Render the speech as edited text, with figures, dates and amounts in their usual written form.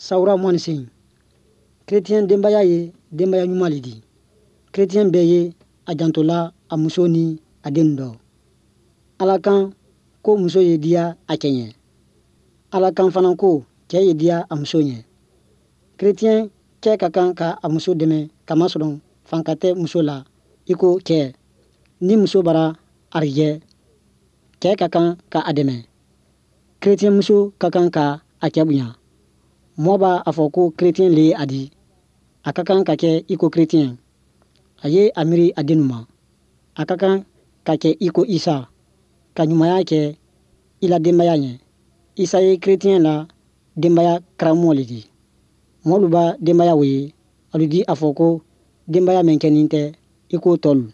Sawura 28. Kretiyɛn denbaya ye denbaya ɲuman le di. Kretiyɛn bɛɛ ye a jantola a muso ni a dennu dɔ. Ala kan ko muso ye diya a cɛ ɲɛ. Ala kan fana ko cɛ ye diya a muso ɲɛ. Kretiyɛn cɛ ka kan ka a muso dɛmɛ kamasɔrɔ fanka tɛ muso la i ko cɛ. Ni muso bara arijɛ, cɛ ka kan ka a dɛmɛ. Kretiyɛn muso ka kan ka a cɛ bonya. Mɔɔ b'a a fɔ ko kretiyɛn le ye a di. A ka kan ka kɛ i ko kretiyɛn. A ye a miiri a dennu ma. A ka kan ka kɛ i ko Isa, ka ɲumanya kɛ i la denbaya ɲɛ. Isa ye kretiyɛn la denbaya karamɔgɔ le di. Mɔɔlu ba denbaya wo ye, alu di a fɔ ko denbaya mɛn kɛnin tɛ i ko tɔlu.